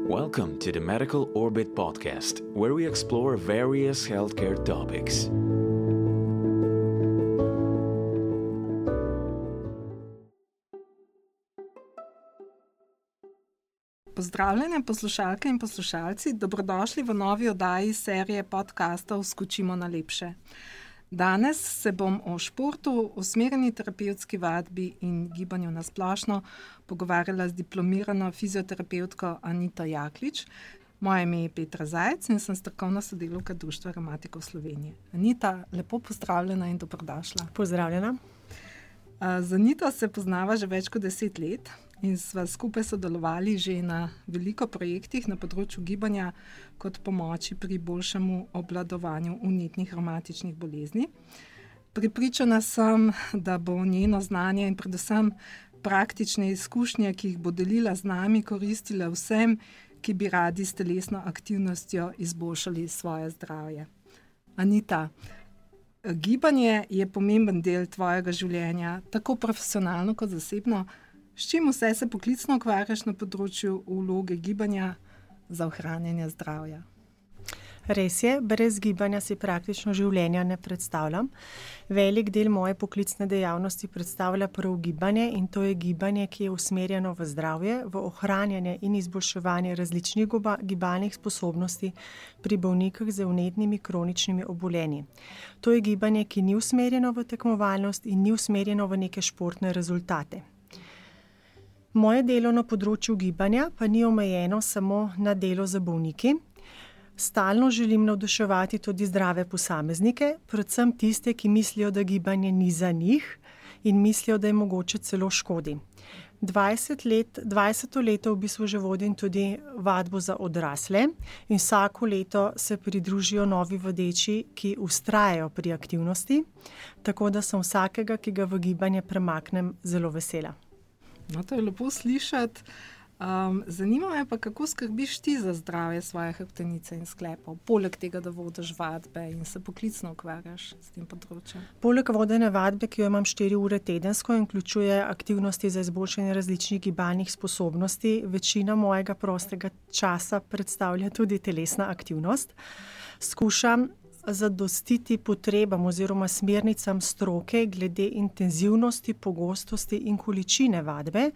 Welcome to the Medical Orbit podcast, where we explore various healthcare topics. Pozdravljene poslušalke in poslušalci, dobrodošli v novi oddaji serije podcastov Skočimo na lepše. Danes se bom o športu, usmerjeni terapevtski vadbi in gibanju na splošno pogovarjala z diplomirano fizioterapevtko Anito Jaklič. Moje ime je Petra Zajec in sem strokovna sodelavka Društva revmatikov Slovenije. Anita, lepo pozdravljena in dobrodošla. Pozdravljena. Z Anito se poznava že več kot 10 let in sva skupaj sodelovali že na veliko projektih na področju gibanja kot pomoči pri boljšemu obvladovanju vnetnih revmatičnih bolezni. Prepričana sem, da bo njeno znanje in predvsem praktične izkušnje, ki jih bo delila z nami, koristile vsem, ki bi radi s telesno aktivnostjo izboljšali svoje zdravje. Anita, gibanje je pomemben del tvojega življenja, tako profesionalno kot zasebno. S čim vse se poklicno ukvarjaš na področju vloge gibanja za ohranjanje zdravja? Res je, brez gibanja si praktično življenja ne predstavljam. Velik del moje poklicne dejavnosti predstavlja prav gibanje in to je gibanje, ki je usmerjeno v zdravje, v ohranjanje in izboljševanje različnih gibalnih sposobnosti pri bolnikih z vnetnimi kroničnimi obolenji. To je gibanje, ki ni usmerjeno v tekmovalnost in ni usmerjeno v neke športne rezultate. Moje delo na področju gibanja pa ni omejeno samo na delo za bolniki. Stalno želim navduševati tudi zdrave posameznike, predvsem tiste, ki mislijo, da gibanje ni za njih in mislijo, da je mogoče celo škodi. 20 leto v bistvu že vodim tudi vadbo za odrasle in vsako leto se pridružijo novi vodeči, ki vztrajajo pri aktivnosti, tako da sem vsakega, ki ga v gibanje premaknem, zelo vesela. No, to je lepo slišati. Zanima me pa, kako skrbiš ti za zdravje svoje hrbtenice in sklepov, poleg tega, da vodiš vadbe in se poklicno ukvarjaš s tem področjem. Poleg vodene vadbe, ki jo imam 4 ure tedensko in vključuje aktivnosti za izboljšanje različnih gibalnih sposobnosti, večina mojega prostega časa predstavlja tudi telesna aktivnost. Skušam zadostiti potrebam oziroma smernicam stroke glede intenzivnosti, pogostosti in količine vadbe.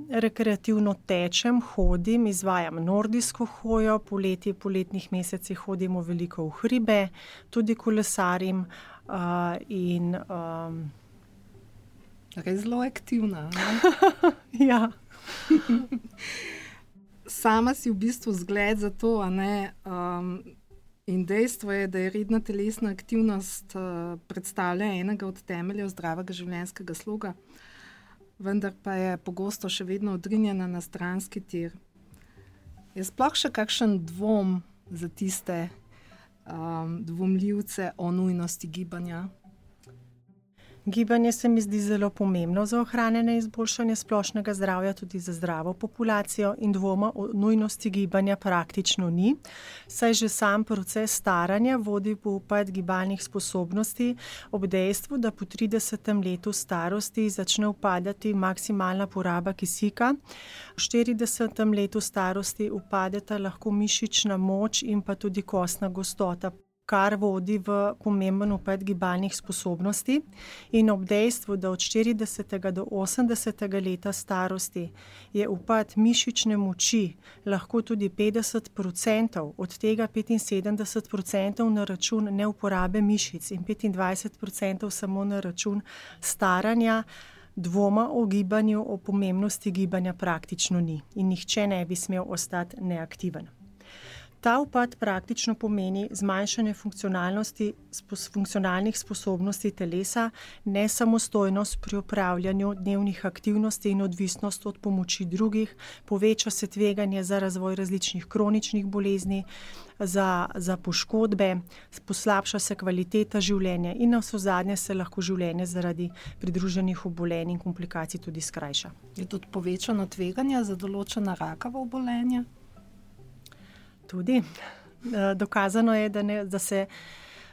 Rekreativno tečem, hodim, izvajam nordijsko hojo, poletnih mesecih hodimo veliko v hribe, tudi kolesarim in res zelo aktivna, ne? Ja. Sama si v bistvu zgled za to, a ne? In dejstvo je, da je redna telesna aktivnost predstavlja enega od temeljev zdravega življenjskega sloga, vendar pa je pogosto še vedno odrinjena na stranski tir. Je sploh še kakšen dvom za tiste dvomljivce o nujnosti gibanja? Gibanje se mi zdi zelo pomembno za ohranjanje in izboljšanje splošnega zdravja, tudi za zdravo populacijo in dvoma o nujnosti gibanja praktično ni, saj že sam proces staranja vodi v upad gibalnih sposobnosti ob dejstvu, da po 30. letu starosti začne upadati maksimalna poraba kisika. V 40. letu starosti upadeta lahko mišična moč in pa tudi kostna gostota, kar vodi v pomemben upad gibalnih sposobnosti in ob dejstvu, da od 40. do 80. leta starosti je upad mišične moči lahko tudi 50%, od tega 75% na račun neuporabe mišic in 25% samo na račun staranja, dvoma o gibanju, o pomembnosti gibanja praktično ni in nihče ne bi smel ostati neaktiven. Ta upad praktično pomeni zmanjšanje funkcionalnih sposobnosti telesa, nesamostojnost pri opravljanju dnevnih aktivnosti in odvisnost od pomoči drugih, poveča se tveganje za razvoj različnih kroničnih bolezni, za poškodbe, poslabša se kvaliteta življenja in navsezadnje se lahko življenje zaradi pridruženih obolenj in komplikacij tudi skrajša. Je tudi povečano tveganje za določena rakava obolenja? Tudi. Dokazano je, da se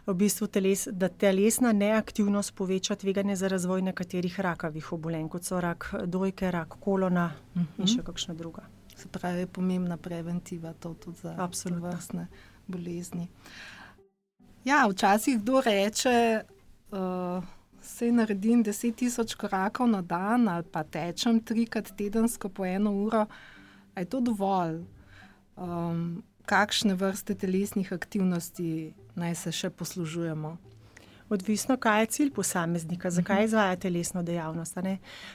v bistvu telesna neaktivnost poveča tveganje za razvoj nekaterih rakavih obolenj, kot so rak dojke, rak kolona in še kakšna druga. Se pravi, je pomembna preventiva to tudi za vrstne bolezni. Ja, včasih kdo reče, se naredim 10.000 korakov na dan ali pa tečem 3-krat tedensko po 1 uro. A je to dovolj? Kakšne vrste telesnih aktivnosti naj se še poslužujemo? Odvisno, kaj je cilj posameznika, zakaj izvaja telesno dejavnost.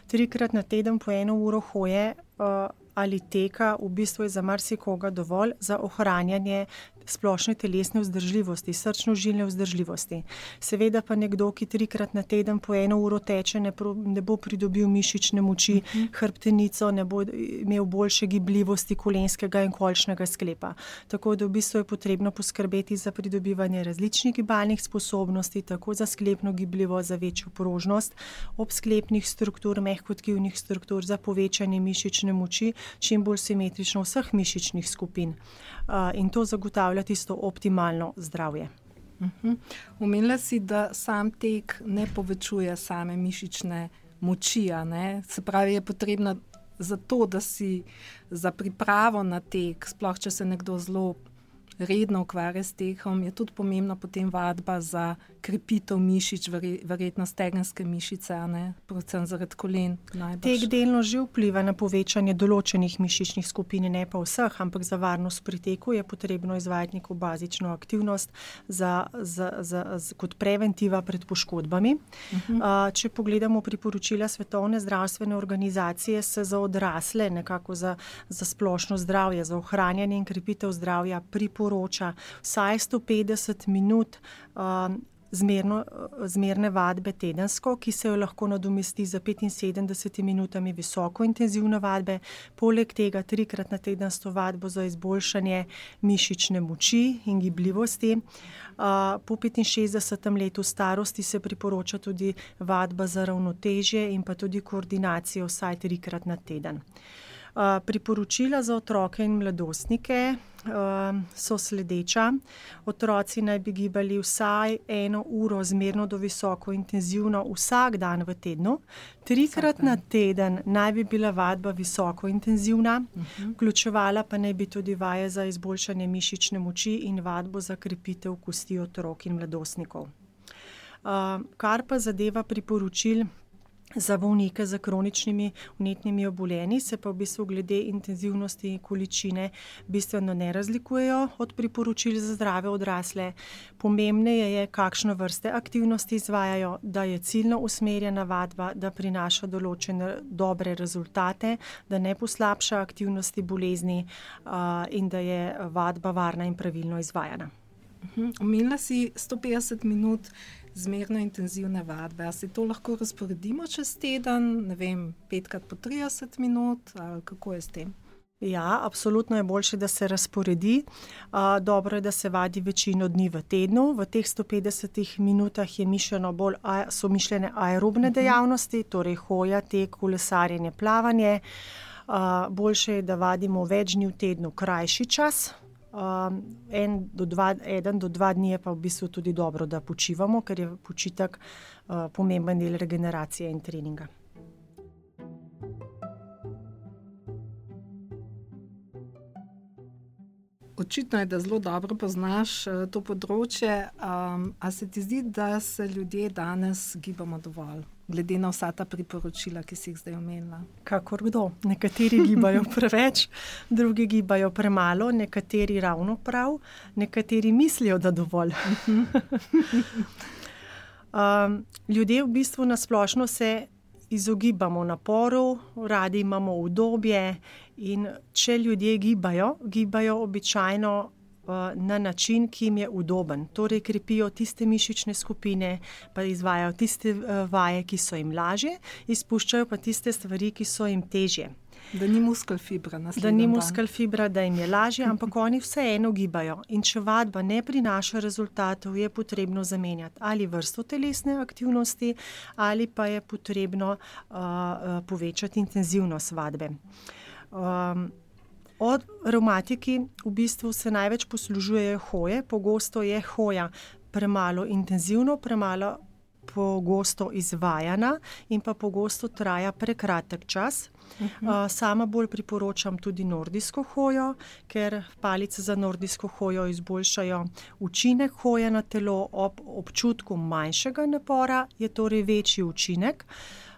3-krat na teden po 1 uro hoje ali teka v bistvu je za marsikoga dovolj za ohranjanje splošne telesne vzdržljivosti, srčno-žilne vzdržljivosti. Seveda pa nekdo, ki 3-krat na teden po 1 uro teče, ne bo pridobil mišične moči, hrbtenico, ne bo imel boljše gibljivosti kolenskega in kolčnega sklepa. Tako da v bistvu je potrebno poskrbeti za pridobivanje različnih gibalnih sposobnosti, tako za sklepno gibljivost, za večjo prožnost, obsklepnih struktur, mehkotkivnih struktur, za povečanje mišične moči, čim bolj simetrično vseh mišičnih skupin. In to zagotavlja tisto optimalno zdravje. Omenila si, da sam tek ne povečuje same mišične moči, ne? Se pravi, je potrebno za to, da si za pripravo na tek, sploh če se nekdo zelo redno ukvarja s tekom, je tudi pomembna potem vadba za krepitev mišic, verjetno stegenske mišice, ne? Predvsem zaradi kolen. Tek delno že vpliva na povečanje določenih mišičnih skupin, ne pa vseh, ampak za varnost pri teku je potrebno izvajati neko bazično aktivnost kot preventiva pred poškodbami. Če pogledamo priporočila Svetovne zdravstvene organizacije, se za odrasle, nekako za splošno zdravje, za ohranjanje in krepitev zdravja priporoča vsaj 150 minut zmerne vadbe tedensko, ki se jo lahko nadomesti za 75 minutami visoko intenzivne vadbe. Poleg tega 3-krat na teden s to vadbo za izboljšanje mišične moči in gibljivosti. Po 65. letu starosti se priporoča tudi vadba za ravnotežje in pa tudi koordinacijo vsaj 3-krat na teden. Priporočila za otroke in mladostnike so sledeča. Otroci naj bi gibali vsaj 1 uro zmerno do visoko intenzivno vsak dan v tednu. 3-krat na teden naj bi bila vadba visoko intenzivna, vključevala pa naj bi tudi vaje za izboljšanje mišične moči in vadbo za krepitev kosti otrok in mladostnikov. Kar pa zadeva priporočil za bolnike z kroničnimi vnetnimi obolenji, se pa v bistvu glede intenzivnosti in količine bistveno ne razlikujejo od priporočil za zdrave odrasle. Pomembneje je, kakšne vrste aktivnosti izvajajo, da je ciljno usmerjena vadba, da prinaša določene dobre rezultate, da ne poslabša aktivnosti bolezni in da je vadba varna in pravilno izvajana. Omenila si 150 minut zmerno intenzivne vadbe. A se to lahko razporedimo čez teden, ne vem, 5-krat po 30 minut, ali kako je s tem? Ja, absolutno je boljše, da se razporedi. Dobro je, da se vadi večino dni v tednu. V teh 150 minutah so mišljene aerobne dejavnosti, torej hoja, tek, kolesarjenje, plavanje. Boljše je, da vadimo več dni v tednu krajši čas. 1 do 2 dni je pa v bistvu tudi dobro, da počivamo, ker je počitek pomemben del regeneracije in treninga. Očitno je, da zelo dobro poznaš to področje. A se ti zdi, da se ljudje danes gibamo dovolj, glede na vsa ta priporočila, ki si jih zdaj omenila? Kakor kdo. Nekateri gibajo preveč, drugi gibajo premalo, nekateri ravno prav, nekateri mislijo, da dovolj. Ljudje v bistvu na splošno se izogibamo naporu, radi imamo udobje in če ljudje gibajo običajno na način, ki jim je udoben. Torej krepijo tiste mišične skupine, pa izvajajo tiste vaje, ki so jim lažje, izpuščajo pa tiste stvari, ki so jim težje. Da ni muskel fibra naslednji dan. Da ni muskel fibra, da jim je lažje, ampak oni vseeno gibajo. In če vadba ne prinaša rezultatov, je potrebno zamenjati ali vrsto telesne aktivnosti, ali pa je potrebno povečati intenzivnost vadbe. Od revmatiki v bistvu se največ poslužujejo hoje. Pogosto je hoja premalo intenzivno, premalo pogosto izvajana in pa pogosto traja prekratek čas. Sama bolj priporočam tudi nordijsko hojo, ker palice za nordijsko hojo izboljšajo učinek hoje na telo ob občutku manjšega napora, je torej večji učinek.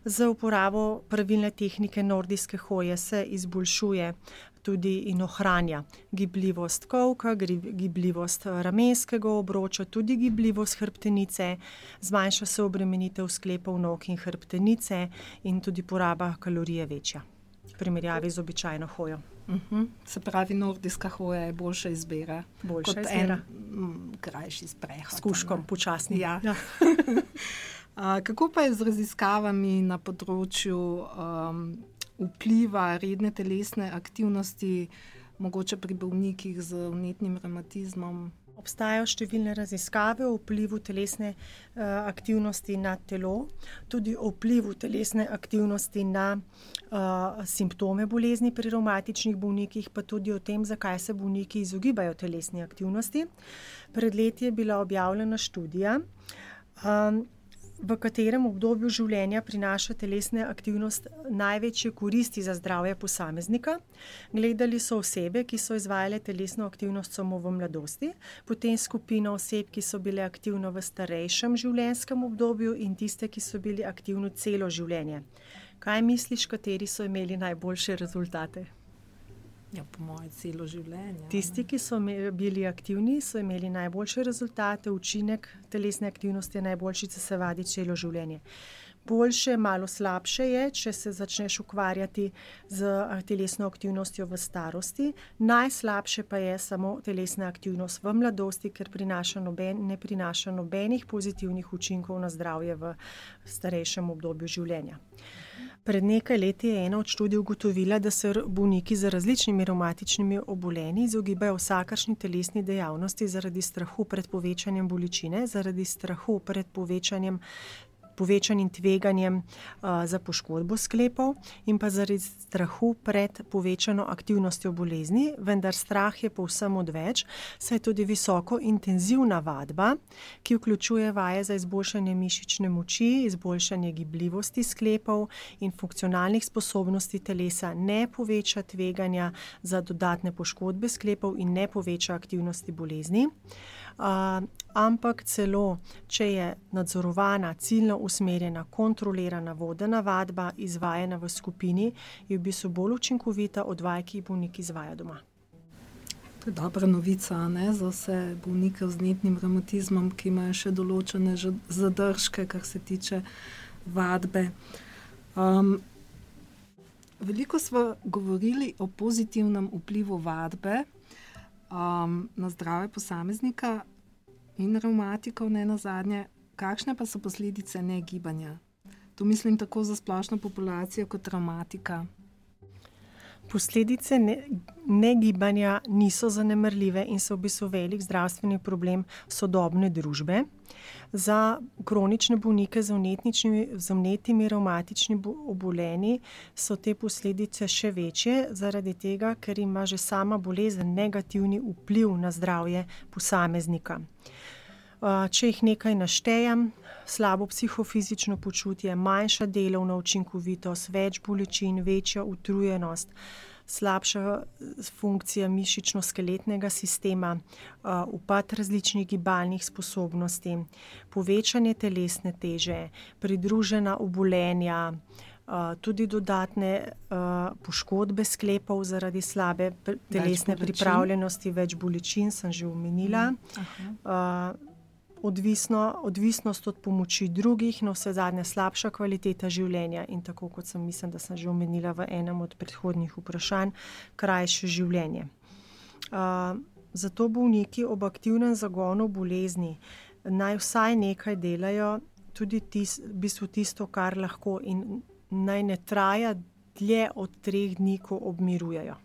Z uporabo pravilne tehnike nordijske hoje se izboljšuje tudi in ohranja gibljivost kolka, gibljivost ramenskega obroča, tudi gibljivost hrbtenice, zmanjša se obremenitev sklepov nog in hrbtenice in tudi poraba kalorije večja v primerjavi z običajno hojo. Se pravi, nordijska hoja je boljša izbira. Boljša izbira. Krajši sprehod. S kužkom, počasni. Ja. Kako pa je z raziskavami na področju vpliva redne telesne aktivnosti, mogoče pri bolnikih z vnetnim revmatizmom? Obstajajo številne raziskave o vplivu telesne aktivnosti na telo, tudi o vplivu telesne aktivnosti na simptome bolezni pri revmatičnih bolnikih, pa tudi o tem, zakaj se bolniki izogibajo telesni aktivnosti. Pred leti je bila objavljena študija, v katerem obdobju življenja prinaša telesna aktivnost največje koristi za zdravje posameznika. Gledali so osebe, ki so izvajale telesno aktivnost samo v mladosti, potem skupino oseb, ki so bile aktivne v starejšem življenjskem obdobju in tiste, ki so bili aktivni celo življenje. Kaj misliš, kateri so imeli najboljše rezultate? Ja, po moje celo življenje. Tisti, ki so bili aktivni, so imeli najboljše rezultate, učinek telesne aktivnosti je najboljši, če se vadi celo življenje. Boljše, malo slabše je, če se začneš ukvarjati z telesno aktivnostjo v starosti. Najslabše pa je samo telesna aktivnost v mladosti, ker ne prinaša nobenih pozitivnih učinkov na zdravje v starejšem obdobju življenja. Pred nekaj leti je ena od študij ugotovila, da se bolniki z različnimi revmatičnimi obolenji izogibajo vsakršni telesni dejavnosti zaradi strahu pred povečanjem bolečine, zaradi strahu pred povečanim tveganjem za poškodbo sklepov in pa zaradi strahu pred povečano aktivnostjo bolezni, vendar strah je povsem odveč, saj je tudi visoko intenzivna vadba, ki vključuje vaje za izboljšanje mišične moči, izboljšanje gibljivosti sklepov in funkcionalnih sposobnosti telesa, ne poveča tveganja za dodatne poškodbe sklepov in ne poveča aktivnosti bolezni. Ampak celo, če je nadzorovana, ciljno usmerjena, kontrolirana vodena vadba, izvajana v skupini, je v bistvu bolj učinkovita od vaj, ki jih bolnik izvaja doma. To je dobra novica, ne, za vse bolnike z vnetnim revmatizmom, ki imajo še določene zadržke, kar se tiče vadbe. Veliko smo govorili o pozitivnem vplivu vadbe na zdravje posameznika in revmatikov, ne nazadnje. Kakšne pa so posledice negibanja? Tu mislim tako za splošno populacijo kot revmatika. Posledice negibanja niso zanemarljive in so v bistvu velik zdravstveni problem sodobne družbe. Za kronične bolnike z vnetnimi revmatičnimi obolenji so te posledice še večje, zaradi tega, ker ima že sama bolezen negativni vpliv na zdravje posameznika. Če jih nekaj naštejem, slabo psihofizično počutje, manjša delovna učinkovitost, več bolečin, večja utrujenost, slabša funkcija mišično-skeletnega sistema, upad različnih gibalnih sposobnosti, povečanje telesne teže, pridružena obolenja, tudi dodatne poškodbe sklepov zaradi slabe telesne pripravljenosti, več bolečin, sem že omenila. Odvisnost od pomoči drugih, no vse zadnje slabša kvaliteta življenja in tako, kot mislim, da sem že omenila v enem od predhodnih vprašanj, krajše življenje. Zato bolniki ob aktivnem zagonu bolezni naj vsaj nekaj delajo, tudi v bistvu tisto, kar lahko, in naj ne traja dlje od 3 dni, ko obmirujejo.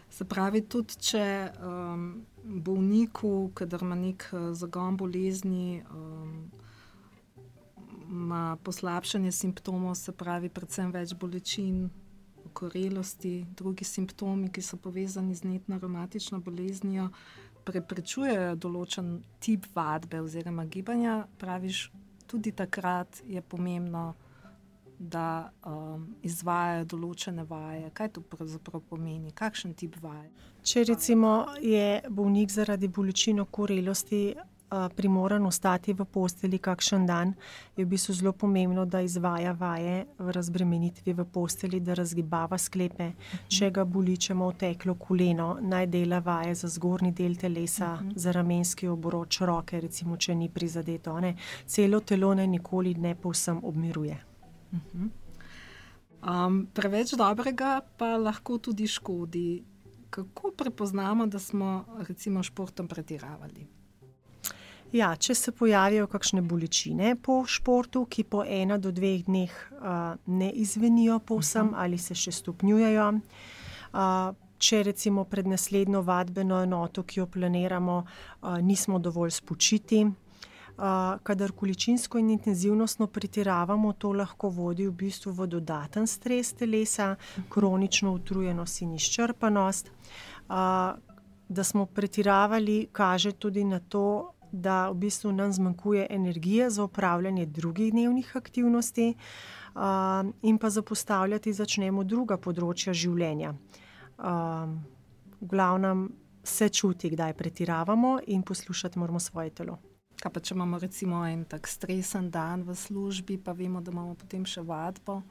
Se pravi, tudi če bolniku, kadar ima nek zagon bolezni, ima poslabšanje simptomov, se pravi predvsem več bolečin, okorelosti, drugi simptomi, ki so povezani z vnetno revmatično boleznijo, preprečujejo določen tip vadbe oziroma gibanja, praviš, tudi takrat je pomembno, da izvajajo določene vaje. Kaj to pravzaprav pomeni? Kakšen tip vaj? Če recimo je bolnik zaradi bolečin okorelosti primoran ostati v posteli kakšen dan, je v bistvu zelo pomembno, da izvaja vaje v razbremenitvi v posteli, da razgibava sklepe. Če ga boli, če ima oteklo koleno, naj dela vaje za zgornji del telesa, za ramenski obroč roke, recimo, če ni prizadeto. Celo telo naj nikoli ne povsem obmiruje. Preveč dobrega pa lahko tudi škodi. Kako prepoznamo, da smo recimo športom pretiravali? Ja, če se pojavijo kakšne bolečine po športu, ki po 1 do 2 dneh ne izvenijo povsem ali se še stopnjujejo. Če recimo pred naslednjo vadbeno enoto, ki jo planiramo, nismo dovolj spočiti. Kadar količinsko in intenzivnostno pretiravamo, to lahko vodi v bistvu v dodaten stres telesa, kronično utrujenost in izčrpanost. Da smo pretiravali, kaže tudi na to, da v bistvu nam zmanjkuje energije za opravljanje drugih dnevnih aktivnosti in pa zapostavljati začnemo druga področja življenja. V glavnem se čuti, kdaj pretiravamo in poslušati moramo svoje telo. Kaj pa, če imamo recimo en tak stresen dan v službi, pa vemo, da imamo potem še vadbo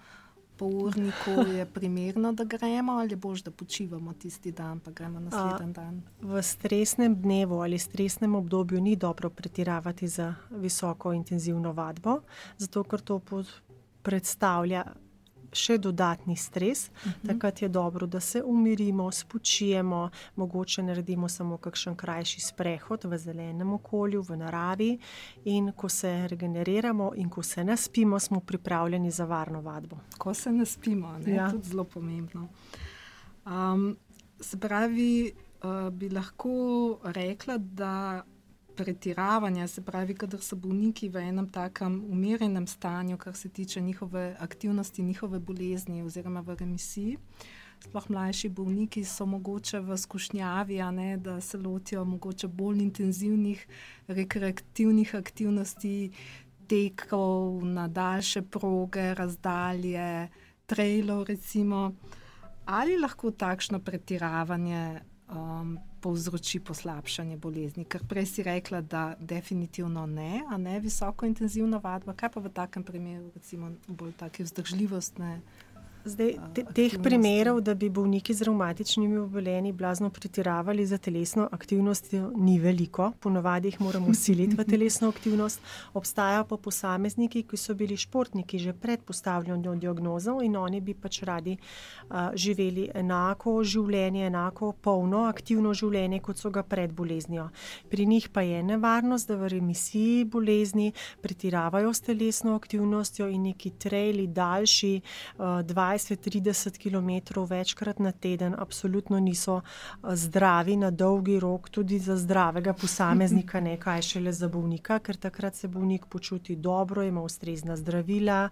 po urniku, je primerno, da gremo ali je boljše, da počivamo tisti dan, pa gremo naslednji dan? V stresnem dnevu ali stresnem obdobju ni dobro pretiravati za visoko intenzivno vadbo, zato ker to predstavlja še dodatni stres. Takrat je dobro, da se umirimo, spočijemo, mogoče naredimo samo kakšen krajši sprehod v zelenem okolju, v naravi in ko se regeneriramo in ko se naspimo, smo pripravljeni za varno vadbo. Ko se naspimo, ja. Tudi zelo pomembno. Se pravi, bi lahko rekla, da pretiravanja, se pravi, kadar so bolniki v enem takem umirjenem stanju, kar se tiče njihove aktivnosti, njihove bolezni oziroma v remisiji. Sploh mlajši bolniki so mogoče v skušnjavi, da se lotijo mogoče bolj intenzivnih rekreativnih aktivnosti, tekov na daljše proge, razdalje, trailov recimo. Ali lahko takšno pretiravanje povzroči poslabšanje bolezni? Ker prej si rekla, da definitivno ne, a ne visoko intenzivna vadba. Kaj pa v takem primeru, recimo bolj take vzdržljivostne Zdaj, teh primerov, da bi bolniki z revmatičnimi obolenji blazno pretiravali za telesno aktivnost, ni veliko. Ponavadi jih moramo siliti v telesno aktivnost. Obstajajo pa posamezniki, ki so bili športniki že pred postavljanjem diagnozo in oni bi pač radi živeli enako življenje, enako polno, aktivno življenje, kot so ga pred boleznijo. Pri njih pa je nevarnost, da v remisiji bolezni pretiravajo s telesno aktivnostjo in neki traili daljši 20-30 km večkrat na teden absolutno niso zdravi na dolgi rok, tudi za zdravega posameznika, ne kaj šele za bolnika, ker takrat se bolnik počuti dobro, ima ustrezna zdravila,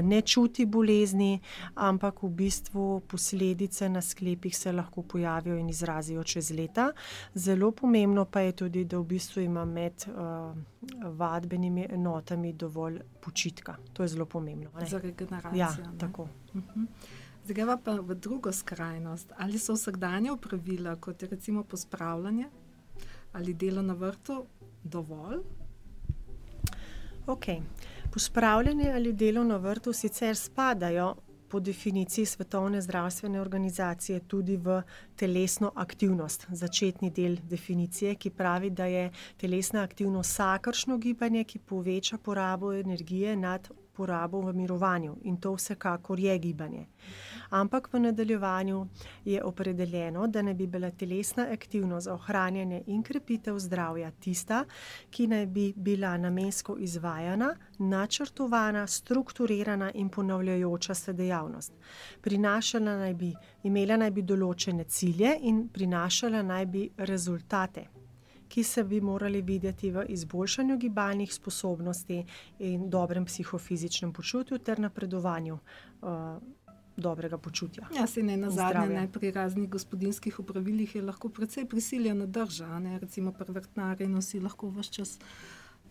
ne čuti bolezni, ampak v bistvu posledice na sklepih se lahko pojavijo in izrazijo čez leta. Zelo pomembno pa je tudi, da v bistvu ima med vadbenimi enotami dovolj počitka. To je zelo pomembno. Za regeneracijo. Ja, tako. Zdaj pa v drugo skrajnost. Ali so vsakdanja opravila, kot je recimo pospravljanje ali delo na vrtu, dovolj? Pospravljanje ali delo na vrtu sicer spadajo po definiciji Svetovne zdravstvene organizacije tudi v telesno aktivnost. Začetni del definicije, ki pravi, da je telesna aktivnost vsakršno gibanje, ki poveča porabo energije nad porabo v mirovanju, in to vsekakor je gibanje. Ampak v nadaljevanju je opredeljeno, da naj bi bila telesna aktivnost za ohranjanje in krepitev zdravja tista, ki naj bi bila namensko izvajana, načrtovana, strukturirana in ponavljajoča se dejavnost. Imela naj bi določene cilje in prinašala naj bi rezultate, ki se bi morali videti v izboljšanju gibalnih sposobnosti in dobrem psihofizičnem počutju ter napredovanju dobrega počutja. Ja, se ne nazadnje, pri raznih gospodinjskih opravilih je lahko precej prisiljena drža, recimo pri vrtnarjenju si lahko ves čas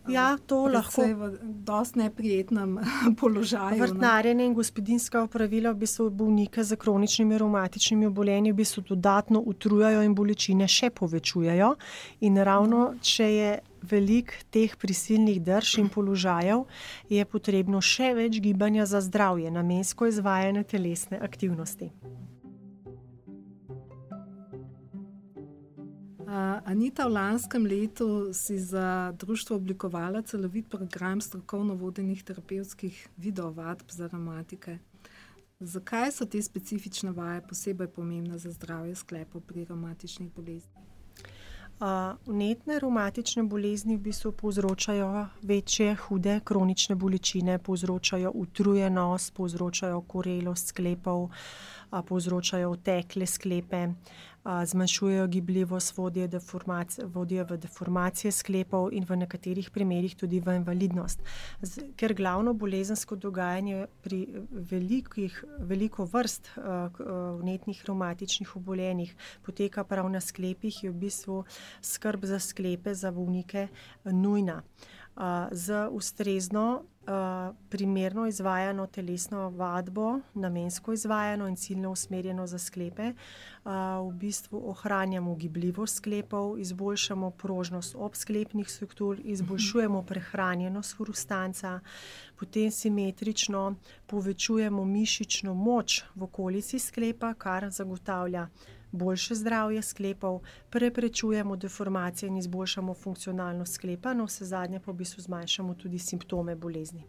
Ja, to lahko. V dosti neprijetnem položaju. Vrtnarjenje in gospodinjska opravila v bistvu bolnike z kroničnimi revmatičnimi obolenji v bistvu dodatno utrujajo in bolečine še povečujejo. In ravno, če je veliko teh prisilnih drž in položajev, je potrebno še več gibanja za zdravje, namensko izvajanje telesne aktivnosti. Anita, v lanskem letu si za društvo oblikovala celovit program strokovno vodenih terapevtskih videovadb za revmatike. Zakaj so te specifične vaje posebej pomembne za zdravje sklepov pri revmatičnih boleznih? Vnetne revmatične bolezni v bistvu povzročajo večje, hude kronične bolečine, povzročajo utrujenost, povzročajo okorelost sklepov, povzročajo otekle sklepe, zmanjšujejo gibljivost, vodijo v deformacije sklepov in v nekaterih primerih tudi v invalidnost. Ker glavno bolezensko dogajanje pri veliko vrst vnetnih revmatičnih obolenjih poteka prav na sklepih, je v bistvu skrb za sklepe, za bolnike nujna. Z ustrezno primerno izvajano telesno vadbo, namensko izvajano in ciljno usmerjeno za sklepe, v bistvu ohranjamo gibljivost sklepov, izboljšamo prožnost obsklepnih struktur, izboljšujemo prehranjenost hrustanca, potem simetrično povečujemo mišično moč v okolici sklepa, kar zagotavlja boljše zdravje sklepov, preprečujemo deformacije in izboljšamo funkcionalnost sklepa, no vsezadnje pa v bistvu zmanjšamo tudi simptome bolezni.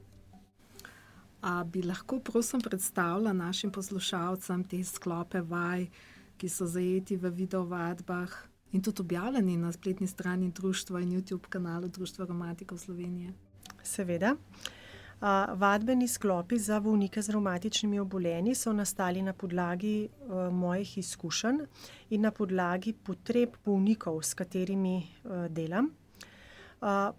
A bi lahko prosim predstavila našim poslušalcem te sklope vaj, ki so zajeti v videovadbah in tudi objavljeni na spletni strani društva in YouTube kanalu Društva revmatikov Slovenije? Seveda. Vadbeni sklopi za bolnike z revmatičnimi obolenji so nastali na podlagi mojih izkušenj in na podlagi potreb bolnikov, s katerimi delam.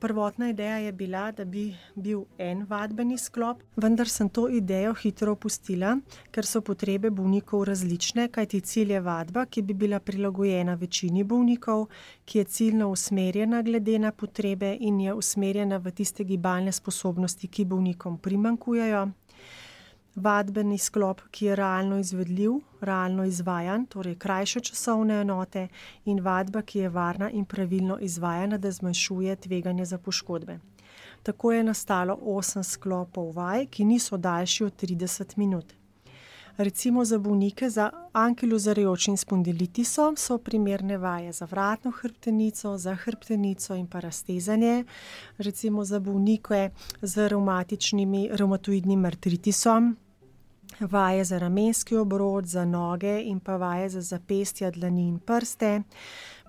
Prvotna ideja je bila, da bi bil en vadbeni sklop, vendar sem to idejo hitro opustila, ker so potrebe bolnikov različne, kajti cilj je vadba, ki bi bila prilagojena večini bolnikov, ki je ciljno usmerjena glede na potrebe in je usmerjena v tiste gibalne sposobnosti, ki bolnikom primanjkujejo. Vadbeni sklop, ki je realno izvedljiv, realno izvajan, torej krajše časovne enote, in vadba, ki je varna in pravilno izvajana, da zmanjšuje tveganje za poškodbe. Tako je nastalo 8 sklopov vaj, ki niso daljši od 30 minut. Recimo za bolnike z ankilozarejočim spondilitisom so primerne vaje za vratno hrbtenico, za hrbtenico in pa raztezanje. Recimo za bolnike z revmatoidnim artritisom, vaje za ramenski obrod, za noge in pa vaje za zapestja, dlani in prste.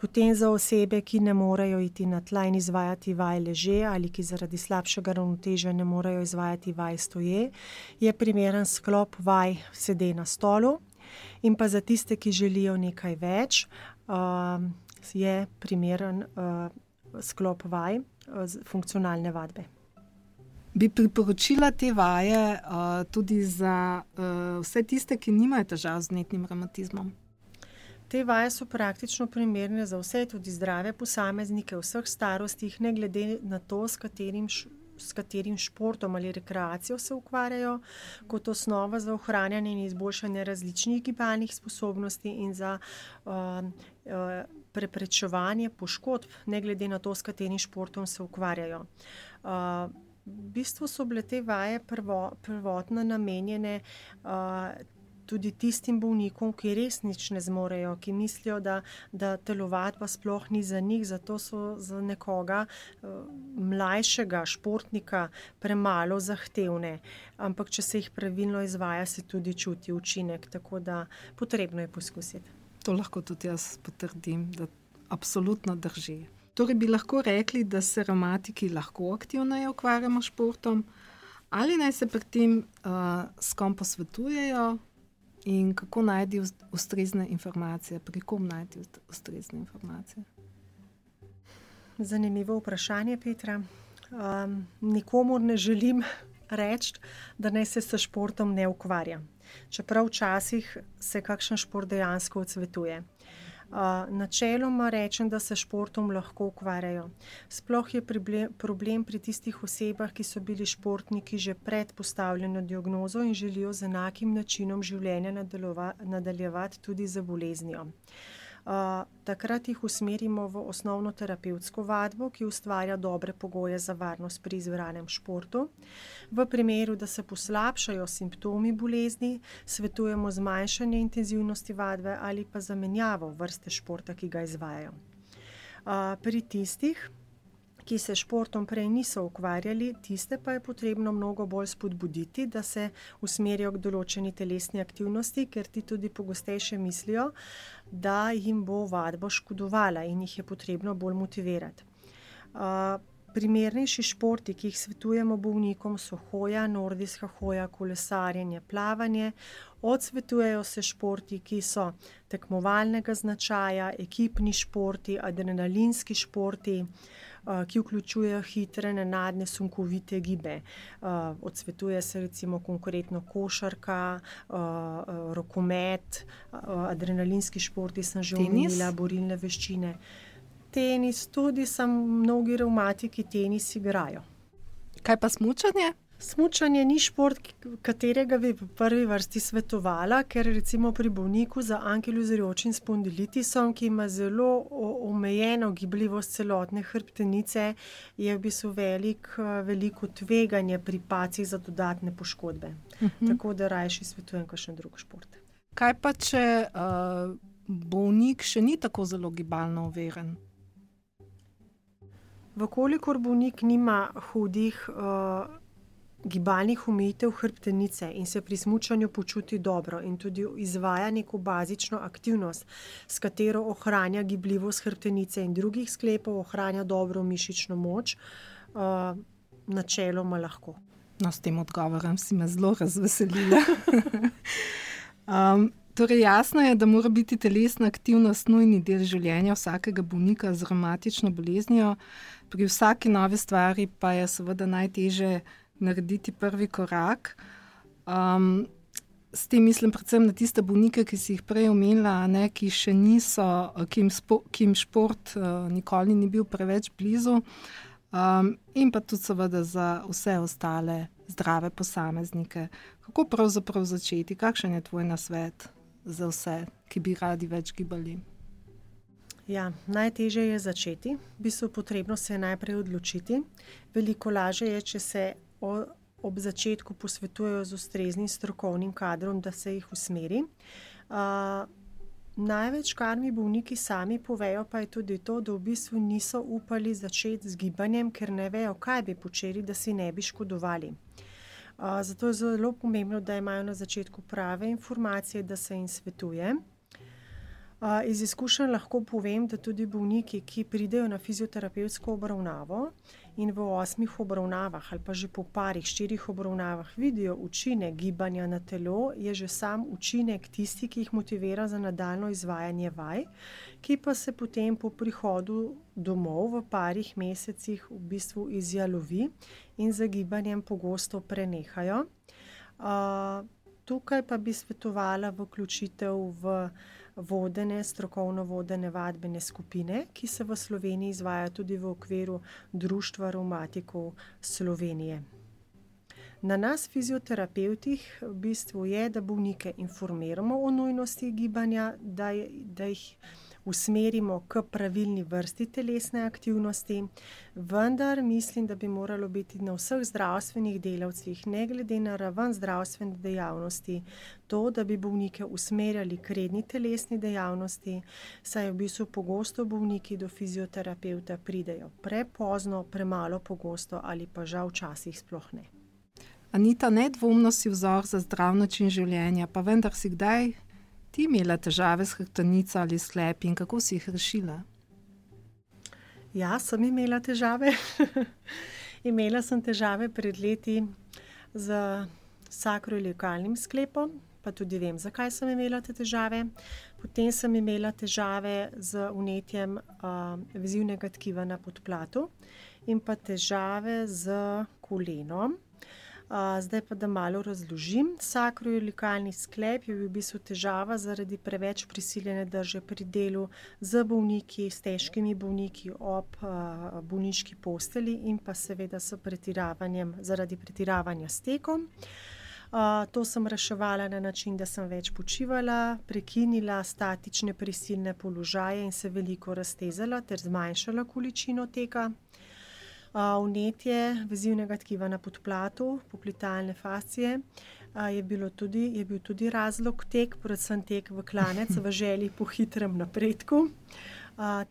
Potem za osebe, ki ne morejo iti na tla in izvajati vaj leže ali ki zaradi slabšega ravnotežja ne morejo izvajati vaj stoje, je primeren sklop vaj sede na stolu. In pa za tiste, ki želijo nekaj več, je primeren sklop vaj funkcionalne vadbe. Bi priporočila te vaje tudi za vse tiste, ki nimajo težav z vnetnim revmatizmom? Te vaje so praktično primerne za vse, tudi zdrave posameznike v vseh starostih, ne glede na to, s katerim športom ali rekreacijo se ukvarjajo, kot osnova za ohranjanje in izboljšanje različnih gibalnih sposobnosti in za preprečevanje poškodb, ne glede na to, s katerim športom se ukvarjajo. V bistvu so bile te vaje prvotno namenjene tudi tistim bolnikom, ki res nič ne zmorejo, ki mislijo, da telovadba sploh ni za njih, zato so za nekoga mlajšega športnika premalo zahtevne. Ampak če se jih pravilno izvaja, se tudi čuti učinek, tako da potrebno je poskusiti. To lahko tudi jaz potrdim, da absolutno drži. Torej bi lahko rekli, da se revmatiki lahko aktivneje ukvarjamo s športom, ali naj se pri tem s kom posvetujejo in kako najti ustrezne informacije, pri kom najti ustrezne informacije? Zanimivo vprašanje, Petra. Nikomur ne želim reči, da naj se s športom ne ukvarja. Čeprav včasih se kakšen šport dejansko odsvetuje. Načeloma rečem, da se športom lahko ukvarjajo. Sploh je problem pri tistih osebah, ki so bili športniki že pred postavljeno diagnozo in želijo z enakim načinom življenja nadaljevati tudi z boleznijo. Takrat jih usmerimo v osnovno terapevtsko vadbo, ki ustvarja dobre pogoje za varnost pri izbranem športu. V primeru, da se poslabšajo simptomi bolezni, svetujemo zmanjšanje intenzivnosti vadbe ali pa zamenjavo vrste športa, ki ga izvajajo. Pri tistih, ki se športom prej niso ukvarjali, tiste pa je potrebno mnogo bolj spodbuditi, da se usmerijo k določeni telesni aktivnosti, ker ti tudi pogostejše mislijo, da jim bo vadba škodovala in jih je potrebno bolj motivirati. Primernejši športi, ki jih svetujemo bolnikom, so hoja, nordijska hoja, kolesarjenje, plavanje. Odsvetujejo se športi, ki so tekmovalnega značaja, ekipni športi, adrenalinski športi, ki vključujejo hitre, nenadne, sunkovite gibe. Odsvetuje se recimo konkretno košarka, rokomet, adrenalinski športi sem že omenila, borilne veščine. Tenis tudi, mnogi revmatiki tenis igrajo. Kaj pa smučanje? Smučanje ni šport, katerega bi v prvi vrsti svetovala, ker recimo pri bolniku za ankilozerijočim spondilitisom, ki ima zelo omejeno gibljivost celotne hrbtenice, je v bistvu veliko tveganje pri pacih za dodatne poškodbe. Tako da rajši svetujem kakšen drug šport. Kaj pa, če bolnik še ni tako zelo gibalno overen? Vkolikor bolnik nima hudih gibalnih omejitev hrbtenice in se pri smučanju počuti dobro in tudi izvaja neko bazično aktivnost, s katero ohranja gibljivost hrbtenice in drugih sklepov, ohranja dobro mišično moč, načeloma lahko. No, s tem odgovorom si me zelo razveselila. Torej jasno je, da mora biti telesna aktivnost nujni del življenja vsakega bolnika z revmatično boleznijo. Pri vsaki novi stvari pa je seveda najtežje narediti prvi korak. S tem mislim predvsem na tiste bolnike, ki si jih prej omenila, ki še niso, ki jim šport nikoli ni bil preveč blizu, in pa tudi seveda za vse ostale zdrave posameznike. Kako pravzaprav začeti? Kakšen je tvoj nasvet za vse, ki bi radi več gibali? Ja, najtežje je začeti. V bistvu potrebno se je najprej odločiti. Veliko lažje je, če se ob začetku posvetujejo z ustreznim strokovnim kadrom, da se jih usmeri. Največ, kar mi bolniki sami povejo, pa je tudi to, da v bistvu niso upali začeti z gibanjem, ker ne vejo, kaj bi počeli, da si ne bi škodovali. Zato je zelo pomembno, da imajo na začetku prave informacije, da se jim svetuje. Iz izkušenj lahko povem, da tudi bolniki, ki pridejo na fizioterapevtsko obravnavo in v 8 obravnavah ali pa že po 4 obravnavah vidijo učinek gibanja na telo, je že sam učinek tisti, ki jih motivira za nadaljnje izvajanje vaj, ki pa se potem po prihodu domov v parih mesecih v bistvu izjalovi in z gibanjem pogosto prenehajo. Tukaj pa bi svetovala vključitev v strokovno vodene vadbene skupine, ki se v Sloveniji izvaja tudi v okviru Društva revmatikov Slovenije. Na nas, fizioterapevtih, v bistvu je, da bolnike informiramo o nujnosti gibanja, da jih usmerimo k pravilni vrsti telesne aktivnosti, vendar mislim, da bi moralo biti na vseh zdravstvenih delavcih, ne glede na raven zdravstvene dejavnosti, to, da bi bolnike usmerjali k redni telesni dejavnosti, saj v bistvu pogosto bolniki do fizioterapevta pridejo prepozno, premalo pogosto ali pa žal včasih sploh ne. Anita, nedvomno si vzor za zdrav način življenja, pa vendar si kdaj ti imela težave s hrbtenico ali sklepi in kako si jih rešila? Ja, sem imela težave. Imela sem težave pred leti z sakroiliakalnim sklepom, pa tudi vem, zakaj sem imela te težave. Potem sem imela težave z vnetjem vezivnega tkiva na podplatu in pa težave z kolenom. Zdaj pa da malo razložim. Sakroiliakalni sklep je bil v bistvu težava zaradi preveč prisiljene drže pri delu z bolniki, s težkimi bolniki ob bolniški posteli in pa seveda zaradi pretiravanja s tekom. To sem reševala na način, da sem več počivala, prekinila statične prisilne položaje in se veliko raztezala ter zmanjšala količino teka. Vnetje vezivnega tkiva na podplatu, poplitealne fascije, je bil tudi razlog tek, predvsem tek v klanec v želji po hitrem napredku.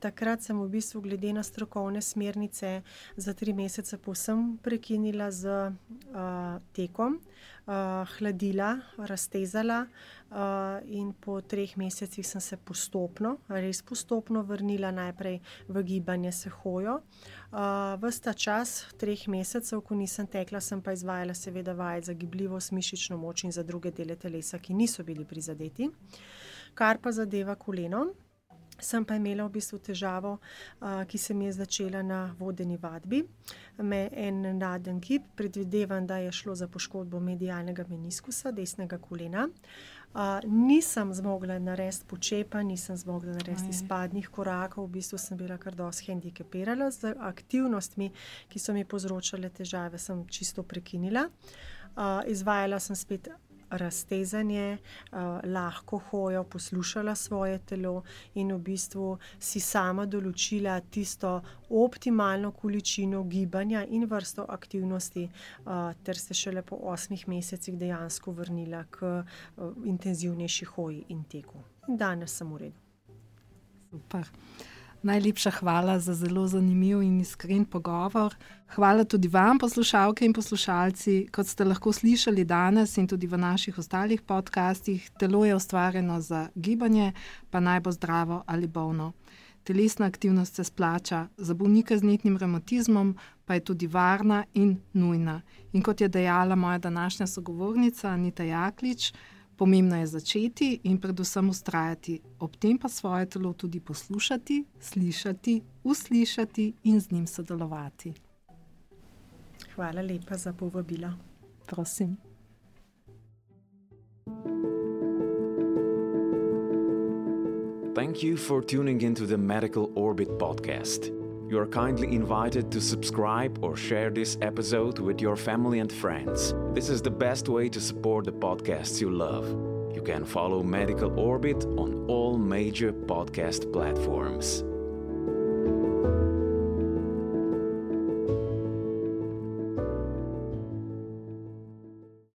Takrat sem v bistvu glede na strokovne smernice za 3 mesece povsem prekinila z tekom, hladila, raztezala in po 3 mesecih sem se res postopno vrnila najprej v gibanje s hojo. Ves ta čas 3 mesecev, ko nisem tekla, sem pa izvajala seveda vaje za gibljivost, mišično moč in za druge dele telesa, ki niso bili prizadeti. Kar pa zadeva koleno, sem pa imela v bistvu težavo, ki se mi je začela na vodeni vadbi. En naden gib, predvidevam, da je šlo za poškodbo medialnega meniskusa, desnega kolena. Nisem zmogla narediti počepa, nisem zmogla narediti izpadnih korakov, v bistvu sem bila kar dosti hendikepirana z aktivnostmi, ki so mi povzročale težave, sem čisto prekinila. Izvajala sem spet raztezanje, lahko hojo, poslušala svoje telo in v bistvu si sama določila tisto optimalno količino gibanja in vrsto aktivnosti, ter se šele po 8 mesecih dejansko vrnila k intenzivnejši hoji in teku. In danes sem v redu. Super. Najlepša hvala za zelo zanimiv in iskren pogovor. Hvala tudi vam, poslušalke in poslušalci. Kot ste lahko slišali danes in tudi v naših ostalih podcastih, telo je ustvarjeno za gibanje, pa naj bo zdravo ali bolno. Telesna aktivnost se splača, za bolnike z vnetnim revmatizmom pa je tudi varna in nujna. In kot je dejala moja današnja sogovornica Anita Jaklič, pomembno je začeti in predvsem vztrajati, ob tem pa svoje telo tudi poslušati, slišati, uslišati in z njim sodelovati. Hvala lepa za povabilo. Prosim. Thank you for tuning into the Medical Orbit podcast. You are kindly invited to subscribe or share this episode with your family and friends. This is the best way to support the podcasts you love. You can follow Medical Orbit on all major podcast platforms.